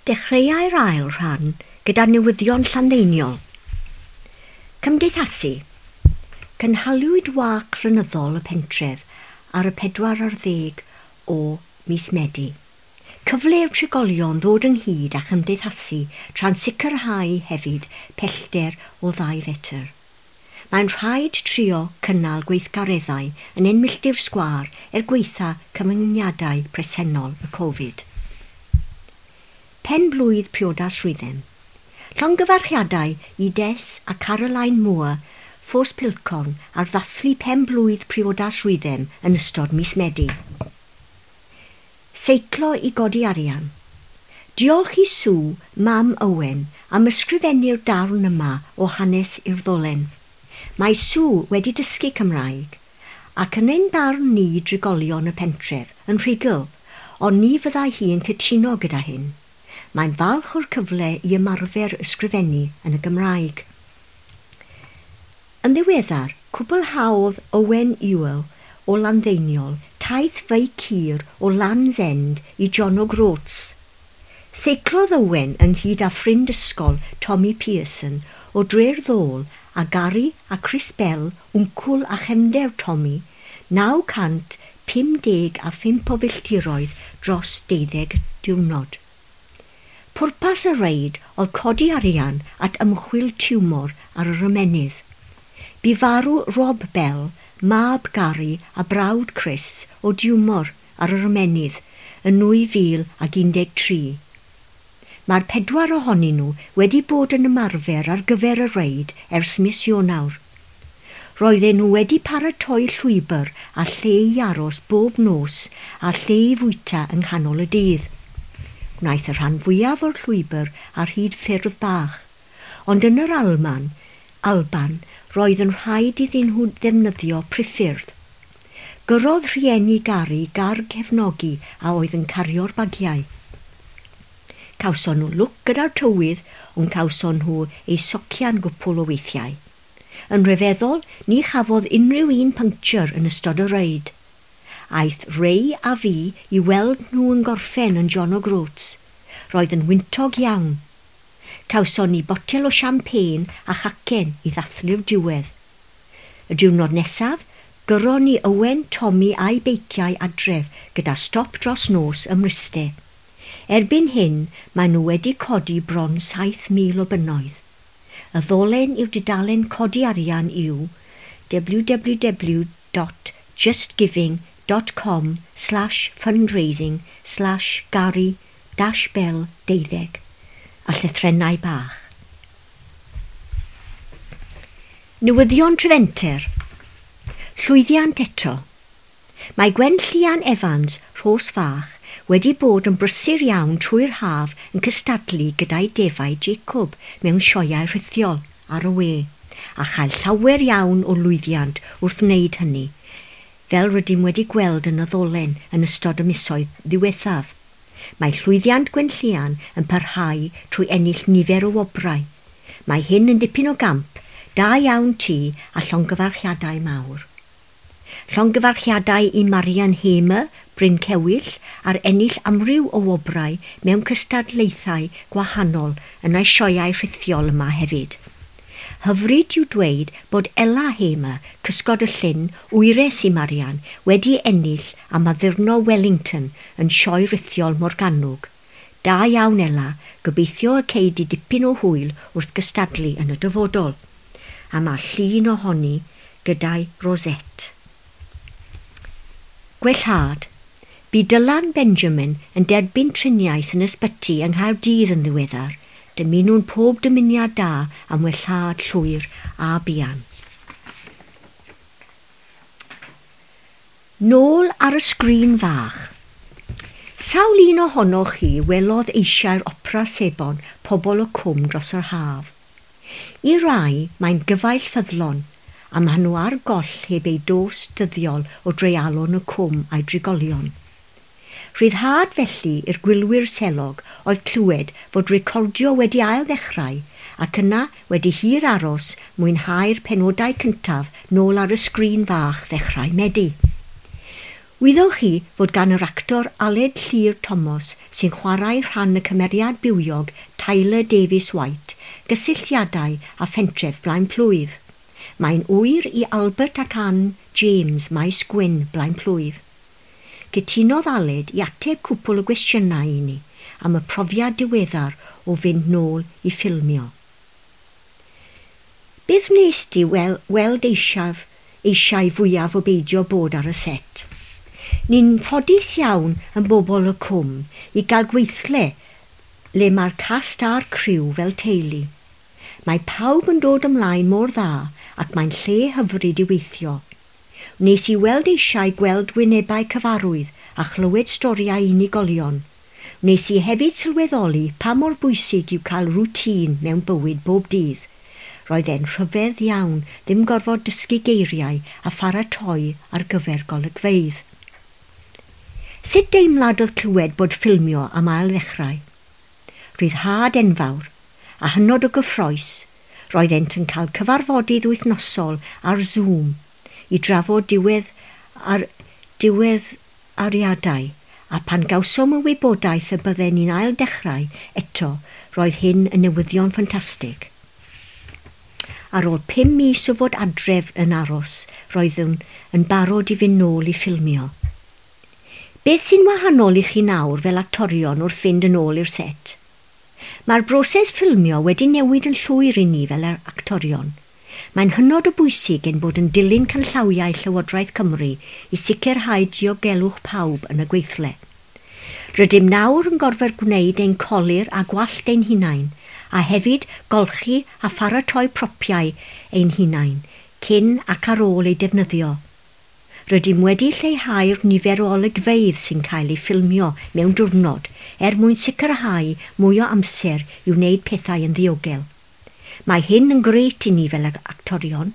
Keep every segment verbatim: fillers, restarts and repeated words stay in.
Dechreuai'r ail rhan gyda newyddion Llanddeiniol. Cymdeithasu. Cynhaliwyd wâc flynyddol y pentref ar y pedwar ar ddeg o mis Medi. Cyfle i'r trigolion ddod ynghyd a chymdeithasu tra'n sicrhau hefyd pellter o ddau fetr. Mae'n rhaid trio cynnal gweithgareddau yn ein milltir sgwâr er gwaetha cyfyngiadau presennol y Covid. Pen-blwydd priodas Rhuddem. Llongyfarchiadau i Des a Caroline Moore, Ffos Pilcorn, ar ddathlu pen-blwydd priodas Rhuddem yn ystod mis Medi. Seiclo i godi arian. Diolch i Sue, mam Owen, am ysgrifennu'r darn yma o hanes i'r ddolen. Mae Sue wedi dysgu Cymraeg, ac yn ein barn ni drigolion y pentref, yn rhugl, ond ni fyddai hi yn cytuno gyda hyn. Mae'n falch o'r cyfle i ymarfer ysgrifennu yn y Gymraeg. Yn ddiweddar, cwblhaodd Owen Ewell o Landdeiniol taith feic hir o Land's End i John O'Groats. Seiclodd Owen ynghyd â ffrind ysgol Tommy Pearson o Dre'r Ddôl a Gary a Chris Bell, wncwl a chefnder Tommy, naw cant pum deg a phump o filltiroedd dros deuddeg diwrnod. Pwrpas y reid oedd codi arian at ymchwil tiwmor ar yr ymennydd. Bu farw Rob Bell, mab Gary a brawd Chris o diwmor ar yr ymennydd yn nwy fil ag un deg tri. Mae'r pedwar ohonyn nhw wedi bod yn ymarfer ar gyfer y reid ers mis Ionawr. Roedden nhw wedi paratoi llwybr a lle i aros bob nos a lle i fwyta yng nghanol y dydd. Gwnaeth y rhan fwyaf o'r llwybr ar hyd ffyrdd bach, ond yn yr Alman, Alban roedd yn rhaid iddyn nhw ddefnyddio priffyrdd. Gyrrodd rhieni Gary gar cefnogi a oedd yn cario'r bagiau. Cawson nhw lwc gyda'r tywydd, ond cawson nhw eu socian gwpl o weithiau. Yn rhyfeddol, ni chafodd unrhyw un puncture yn ystod y reid. Aeth Ray a fi i weld nhw yn gorffen yn John O'Groats. Roedd yn wyntog iawn. Cawson ni botel o champagne a chacen i ddathlu'r diwedd. Y diwrnod nesaf, gyrron ni Owen, Tommy a'i beiciau adref gyda stop dros nos ym Mryste. Erbyn hyn, maen nhw wedi codi bron saith mil o bunnoedd. Y ddolen i'r dudalen codi arian yw www dot justgiving dot com slash fundraising slash Gary dash Bell deuddeg a llythrennau bach. Newyddion Trefenter. Llwyddiant eto. Mae Gwen Llian Evans, Rhos Fach, wedi bod yn brysur iawn trwy'r haf yn cystadlu gyda'i defaid Jacob mewn sioeau rhithiol ar y we, a chael llawer iawn o lwyddiant wrth wneud hynny, fel rydym wedi gweld yn y ddolen yn ystod y misoedd ddiwethaf. Mae llwyddiant Gwen Llian yn parhau trwy ennill nifer o wobrau. Mae hyn yn dipyn o gamp, da iawn ti a llongyfarchiadau mawr. Llongyfarchiadau i Marian Hamer, Bryn Cewyll, ar ennill amryw o wobrau mewn cystadlaethau gwahanol yn ei sioeau rhithiol yma hefyd. Hyfryd yw dweud bod Ella Hamer, cysgod y llyn, wyres i Marian, wedi ennill am addurno Wellington yn sioe rithiol Morgannwg. Da iawn Ella, gobeithio y cei di dipyn o hwyl wrth gystadlu yn y dyfodol. A mae llun ohoni gyda'i rosette. Gwellhad. Bu Dylan Benjamin yn derbyn triniaeth yn ysbyty yng Nghaerdydd yn ddiweddar. Dymunwn pob dymuniad da am wellhad llwyr a buan. Nôl ar y sgrin fach. Sawl un ohonoch chi welodd eisiau'r opera sebon Pobol y Cwm dros yr haf. I rai, mae'n gyfaill ffyddlon, a maen nhw ar goll heb eu dos dyddiol o dreialon y cwm a'i drigolion. Rhyddhad felly i'r gwylwyr selog oedd clywed fod recordio wedi ail ddechrau ac yna wedi hir aros mwynhau'r penodau cyntaf nôl ar y sgrin fach ddechrau Medi. Wyddoch chi fod gan yr actor Aled Llŷr Thomas sy'n chwarae rhan y cymeriad bywiog Tyler Davies White gysylltiadau â phentref Blaenplwyf. Mae'n ŵyr i Albert ac Ann James Maes Gwyn Blaenplwyf. Cytunodd Aled i ateb cwpl o gwestiynau i ni am y profiad diweddar o fynd nôl i ffilmio. Beth wnes di wel, weld eisiau, eisiau fwyaf o beidio bod ar y set? Ni'n ffodus iawn yn bobl y cwm i gael gweithle le mae'r cast a'r criw fel teulu. Mae pawb yn dod ymlaen mor dda ac mae'n lle hyfryd i weithio. Wnes i weld eisiau gweld wynebau cyfarwydd a chlywed storïau unigolion. Wnes i hefyd sylweddoli pa mor bwysig yw cael rwtîn mewn bywyd bob dydd. Roedd e'n rhyfedd iawn ddim gorfod dysgu geiriau a pharatoi ar gyfer golygfeydd. Sut deimlad oedd clywed bod ffilmio am ail ddechrau? Rhyddhad enfawr a hynod o gyffrous, roeddent yn cael cyfarfodydd wythnosol ar Zoom i drafod diwedd ar diwedd ariadau, a pan gawsom y wybodaeth y bydden ni'n ail dechrau eto, roedd hyn yn newyddion ffantastig. Ar ôl pum mis o fod adref yn aros, roeddwn yn barod i fynd nôl i ffilmio. Beth sy'n wahanol i chi nawr fel actorion wrth fynd yn ôl i'r set? Mae'r broses ffilmio wedi newid yn llwyr i ni fel actorion. Mae'n hynod o bwysig ein bod yn dilyn canllawiau Llywodraeth Cymru i sicrhau diogelwch pawb yn y gweithle. Rydym nawr yn gorfod gwneud ein colur a gwallt ein hunain, a hefyd golchi a pharatoi propiau ein hunain, cyn ac ar ôl eu defnyddio. Rydym wedi lleihau'r nifer o olygfeydd sy'n cael eu ffilmio mewn diwrnod er mwyn sicrhau mwy o amser i wneud pethau yn ddiogel. Mae hyn yn grêt i ni fel actorion.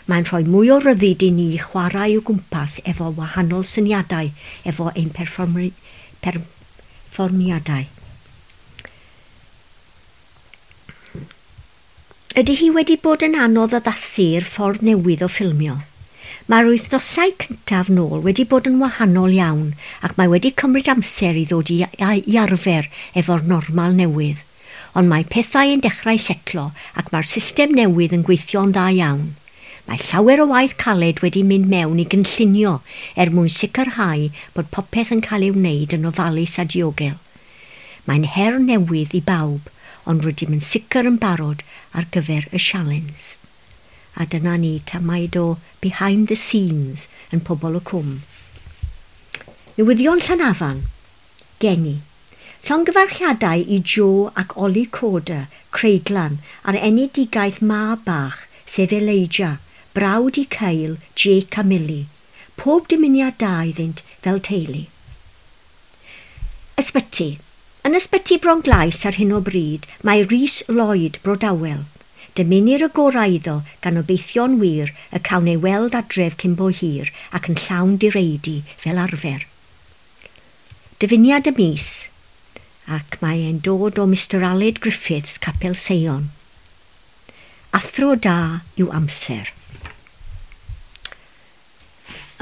Mae'n rhoi mwy o ryddid i ni chwarae o gwmpas efo wahanol syniadau efo ein perfformiadau. Ydy hi wedi bod yn anodd addasu i'r ffordd newydd o ffilmio? Mae'r wythnosau cyntaf nôl wedi bod yn wahanol iawn ac mae wedi cymryd amser i ddod i, i arfer efo'r normal newydd. Ond mae pethau yn dechrau setlo ac mae'r system newydd yn gweithio'n dda iawn. Mae llawer o waith caled wedi mynd mewn i gynllunio er mwyn sicrhau bod popeth yn cael ei wneud yn ofalus a diogel. Mae'n her newydd i bawb, ond rydym yn sicr yn barod ar gyfer y sialens. A dyna ni tamaid o behind the scenes yn Pobol y Cwm. Newyddion Llanafan. Geni. Llongyfarchiadau i Joe ac Ollie Corder, Creiglan, ar enedigaeth mab bach, sef Elijah, brawd i Kyle, Jake a Millie. Pob dymuniad da iddynt fel teulu. Ysbyty. Yn ysbyty Bronglais ar hyn o bryd mae Rhys Lloyd Brodawel. Dymunir y gorau iddo gan obeithio'n wir y cawn ei weld adref cyn bo hir ac yn llawn direidi fel arfer. Dyfyniad y mis, ac mae e'n dod o Mister Aled Griffiths, Capel Seion. Athro da yw amser.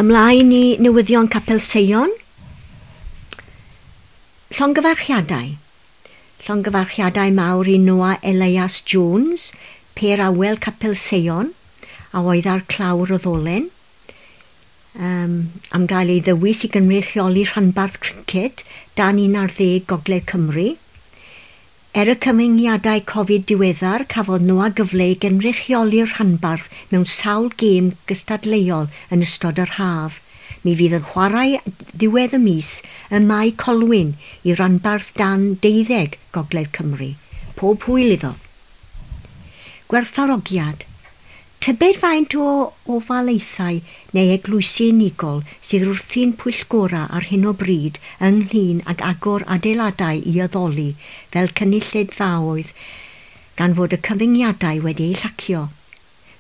Ymlaen i newyddion Capel Seion. Llongyfarchiadau. Llongyfarchiadau mawr i Noah Elias Jones, Per Awel Capel Seion, a oedd ar clawr y ddolen, um, am gael ei ddewis i gynrychioli rhanbarth criced dan un ar ddeg Gogledd Cymru. Er y cyfyngiadau Covid diweddar, cafodd Noah gyfle i gynrychioli'r rhanbarth mewn sawl gêm gystadleuol yn ystod yr haf. Mi fydd yn chwarae ddiwedd y mis ym Mae Colwyn i ranbarth dan deuddeg Gogledd Cymru. Pob hwyl iddo. Gwerthfawrogiad. Tybed faint o ofalaethau neu eglwysi unigol sydd wrthi'n pwyllgora ar hyn o bryd ynglŷn ag agor adeiladau i addoli fel cynulleidfaoedd gan fod y cyfyngiadau wedi eu llacio.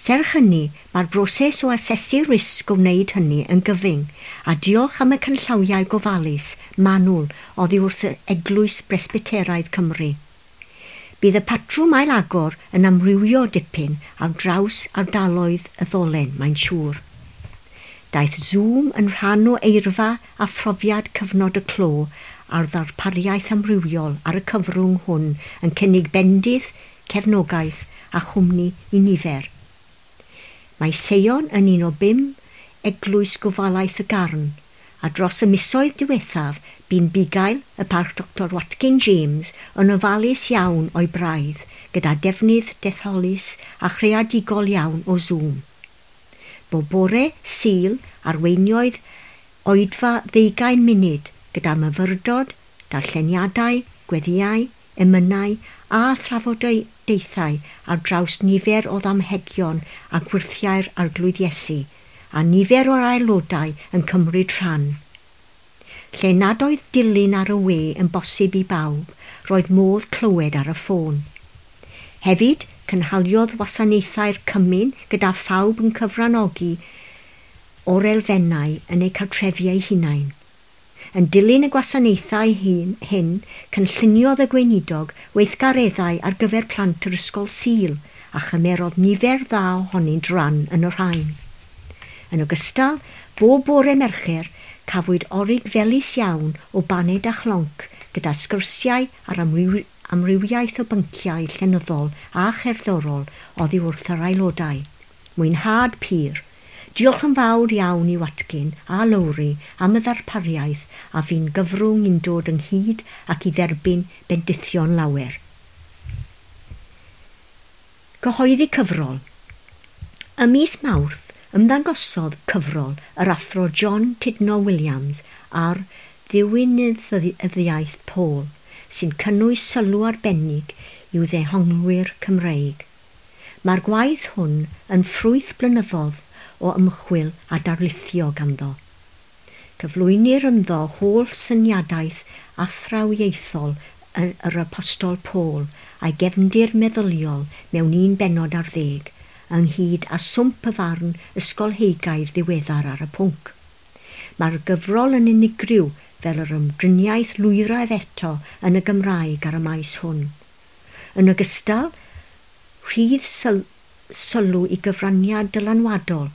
Serch hynny, mae'r broses o asesu risg o wneud hynny yn gyfyng, a diolch am y canllawiau gofalus manwl oddi wrth Eglwys Bresbyteraidd Cymru. Bydd y patrwm ail-agor yn amrywio dipyn ar draws ardaloedd y ddolen, mae'n siŵr. Daeth Zoom yn rhan o eirfa a phrofiad cyfnod y clo a'r ddarpariaeth amrywiol ar y cyfrwng hwn yn cynnig bendith, cefnogaeth a chwmni i nifer. Mae Seion yn un o bum eglwys gofalaeth y Garn, a dros y misoedd diwethaf bu'n bugail y parch Doctor Watkin James yn ofalus iawn o'i braidd gyda defnydd detholus a chreadigol iawn o Zoom. Bob bore, Sul, arweiniodd oedfa ddeugain munud gyda myfyrdod, darlleniadau, gweddïau, emynau a thrafodaethau ar draws nifer o ddamhegion a gwyrthiau'r Arglwydd Iesu, a nifer o'r aelodau yn cymryd rhan. Lle nad oedd dilyn ar y we yn bosib i bawb, roedd modd clywed ar y ffôn. Hefyd, cynhaliodd wasanaethau'r cymun gyda phawb yn cyfranogi o'r elfennau yn eu cartrefi eu hunain. Yn dilyn y gwasanaethau hyn, hyn, cynlluniodd y gweinidog weithgareddau ar gyfer plant yr ysgol Sul a chymerodd nifer dda ohonynt ran yn y rhain. Yn ogystal, bob bore Mercher, cafwyd orig felys iawn o baned a chlonc gyda sgyrsiau ar amryw, amrywiaeth o bynciau llenyddol a cherddorol oddi wrth yr aelodau. Mwynhad pur. Diolch yn fawr iawn i Watkin a Lowri am y ddarpariaeth a fu'n gyfrwng i'n dod ynghyd ac i dderbyn bendithion lawer. Cyhoeddi cyfrol. Ym mis Mawrth, ymddangosodd cyfrol yr athro John Tudno Williams ar ddiwinyddiaeth Paul, sy'n cynnwys sylw arbennig i'w ddehonglwyr Cymreig. Mae'r gwaith hwn yn ffrwyth blynyddoedd o ymchwil a darlithio ganddo. Cyflwynir ynddo holl syniadaeth athrawiaethol yr Apostol Paul a'i gefndir meddyliol mewn un bennod ar ddeg, ynghyd â swmp y farn ysgolheigaidd ddiweddar ar y pwnc. Mae'r gyfrol yn unigryw fel yr ymdriniaeth lwyraidd eto yn y Gymraeg ar y maes hwn. Yn ogystal, rhydd syl sylw i gyfraniad dylanwadol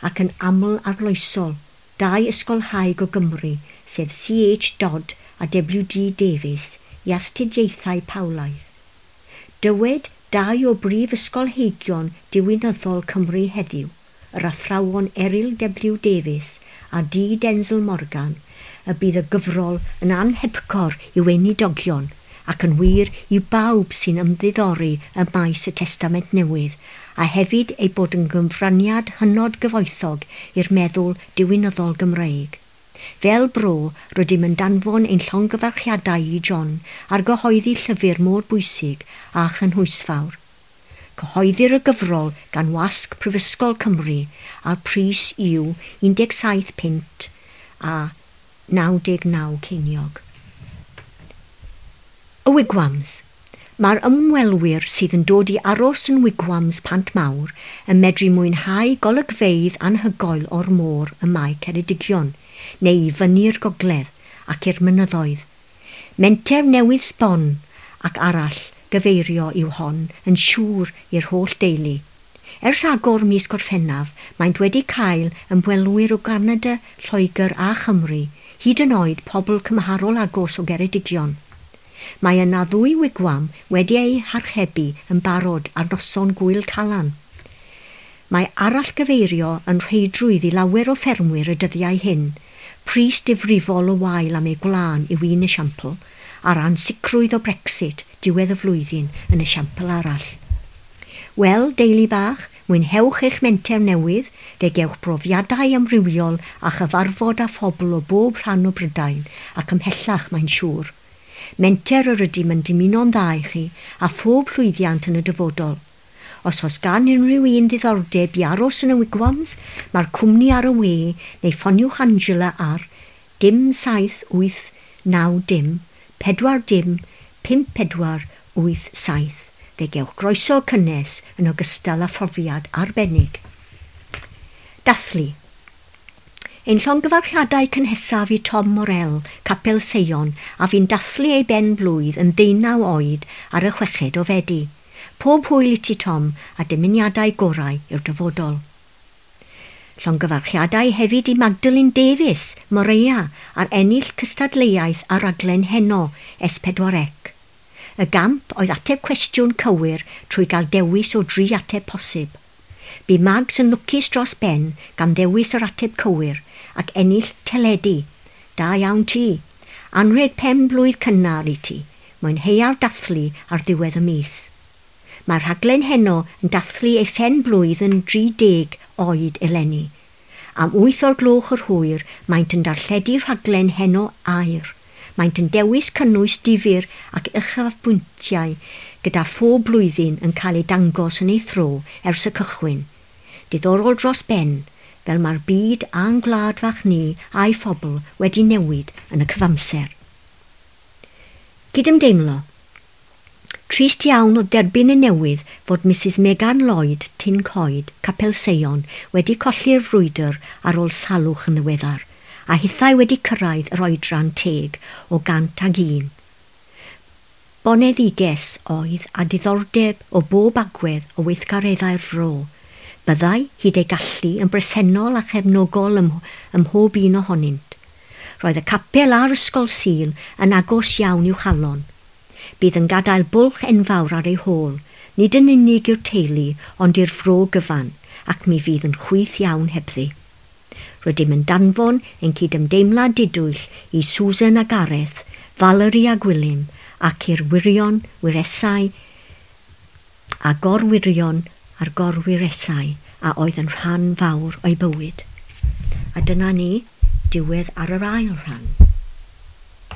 ac yn aml arloesol dau ysgolhaig o Gymru, sef C H Dodd a W D Davies, i astudiaethau Paulaidd. Dywed dau o brif ysgolheigion diwinyddol Cymru heddiw, yr athrawon Eryl W Davies a D Denzel Morgan, y bydd y gyfrol yn anhepgor i weinidogion ac yn wir i bawb sy'n ymddiddori ym maes y Testament Newydd, a hefyd ei bod yn gyfraniad hynod gyfoethog i'r meddwl diwinyddol Gymreig. Fel bro, rydym yn danfon ein llongyfarchiadau i John ar gyhoeddi llyfr mor bwysig a chynhwysfawr. Cyhoeddir y gyfrol gan Wasg Prifysgol Cymru a'r pris yw un deg saith punt a naw deg naw ceiniog. Y Wigwams. Mae'r ymwelwyr sydd yn dod i aros yn Wigwams Pant Mawr yn medru mwynhau golygfeydd anhygoel o'r môr ym Mae Ceredigion, neu i fyny'r gogledd ac i'r mynyddoedd. Menter newydd sbon ac arall gyfeirio yw hon yn siŵr i'r holl deulu. Ers agor mis Gorffennaf, maent wedi cael ymwelwyr o Ganada, Lloegr a Chymru, hyd yn oed pobl cymharol agos o Geredigion. Mae yna ddwy wigwam wedi eu harchebu yn barod ar noson Gŵyl Calan. Mae arallgyfeirio yn rheidrwydd i lawer o ffermwyr y dyddiau hyn, pris difrifol o wael am eu gwlân yw un esiampl, a'r ansicrwydd o Brexit diwedd y flwyddyn yn esiampl arall. Wel, deulu bach, mwynhewch eich menter newydd, fe gewch brofiadau amrywiol a chyfarfod â phobl o bob rhan o Brydain ac ymhellach mae'n siŵr. Menter yr ydym yn dymuno'n dda i chi a phob llwyddiant yn y dyfodol. Os oes gan unrhyw un ddiddordeb i aros yn y Wigwams, mae'r cwmni ar y we neu ffoniwch Angela ar dim saith wyth naw dim pedwar dim pump pedwar wyth saith. Fe gewch groeso cynnes yn ogystal â phrofiad arbennig. Dathlu. Ein llongyfarchiadau cynhesaf i Tom Morel, Capel Seion, a fu'n dathlu ei ben blwydd yn ddeunaw oed ar y chweched o Fedi. Pob hwyl i ti, Tom, a dymuniadau gorau i'r dyfodol. Llongyfarchiadau hefyd i Magdalene Davies, Morea, ar ennill cystadleuaeth ar raglen Heno S pedwar C. Y gamp oedd ateb cwestiwn cywir trwy gael dewis o dri ateb posib. Bu Mags yn lwcus dros ben gan ddewis yr ateb cywir ac ennill teledu. Da iawn ti. Anrheg pen blwydd cynnar i ti. Mwynheua'r dathlu ar ddiwedd y mis. Mae'r rhaglen Heno yn dathlu ei phen blwydd yn dri deg oed eleni. Am wyth o'r gloch yr hwyr, maent yn darlledu rhaglen Heno Aur. Maent yn dewis cynnwys difyr ac uchafbwyntiau gyda phob blwyddyn yn cael ei dangos yn ei thro ers y cychwyn. Diddorol dros ben, fel mae'r byd a'n gwlad fach ni a'i phobl wedi newid yn y cyfamser. Cydymdeimlo. Trist iawn o derbyn y newydd fod Missus Megan Lloyd, Tin Coed, Capel Seion, wedi colli'r frwydr ar ôl salwch yn ddiweddar, a hithau wedi cyrraedd yr oedran teg o gant ag un. Boneddiges oedd a diddordeb o bob agwedd o weithgareddau'r fro. Byddai hyd ei gallu yn bresennol a chefnogol ym, ym mhob un ohonynt. Roedd y capel a'r ysgol Sul yn agos iawn i'w chalon. Bydd yn gadael bwlch enfawr ar ei hôl, nid yn unig i'r teulu, ond i'r fro gyfan, ac mi fydd yn chwith iawn hebddi. Rydym yn danfon ein cydymdeimlad didwyll i Susan a Gareth, Valerie a Gwilym, ac i'r wyrion, wyresau a gorwyrion a'r gorwyresau a oedd yn rhan fawr o'i bywyd. A dyna ni, diwedd ar yr ail rhan.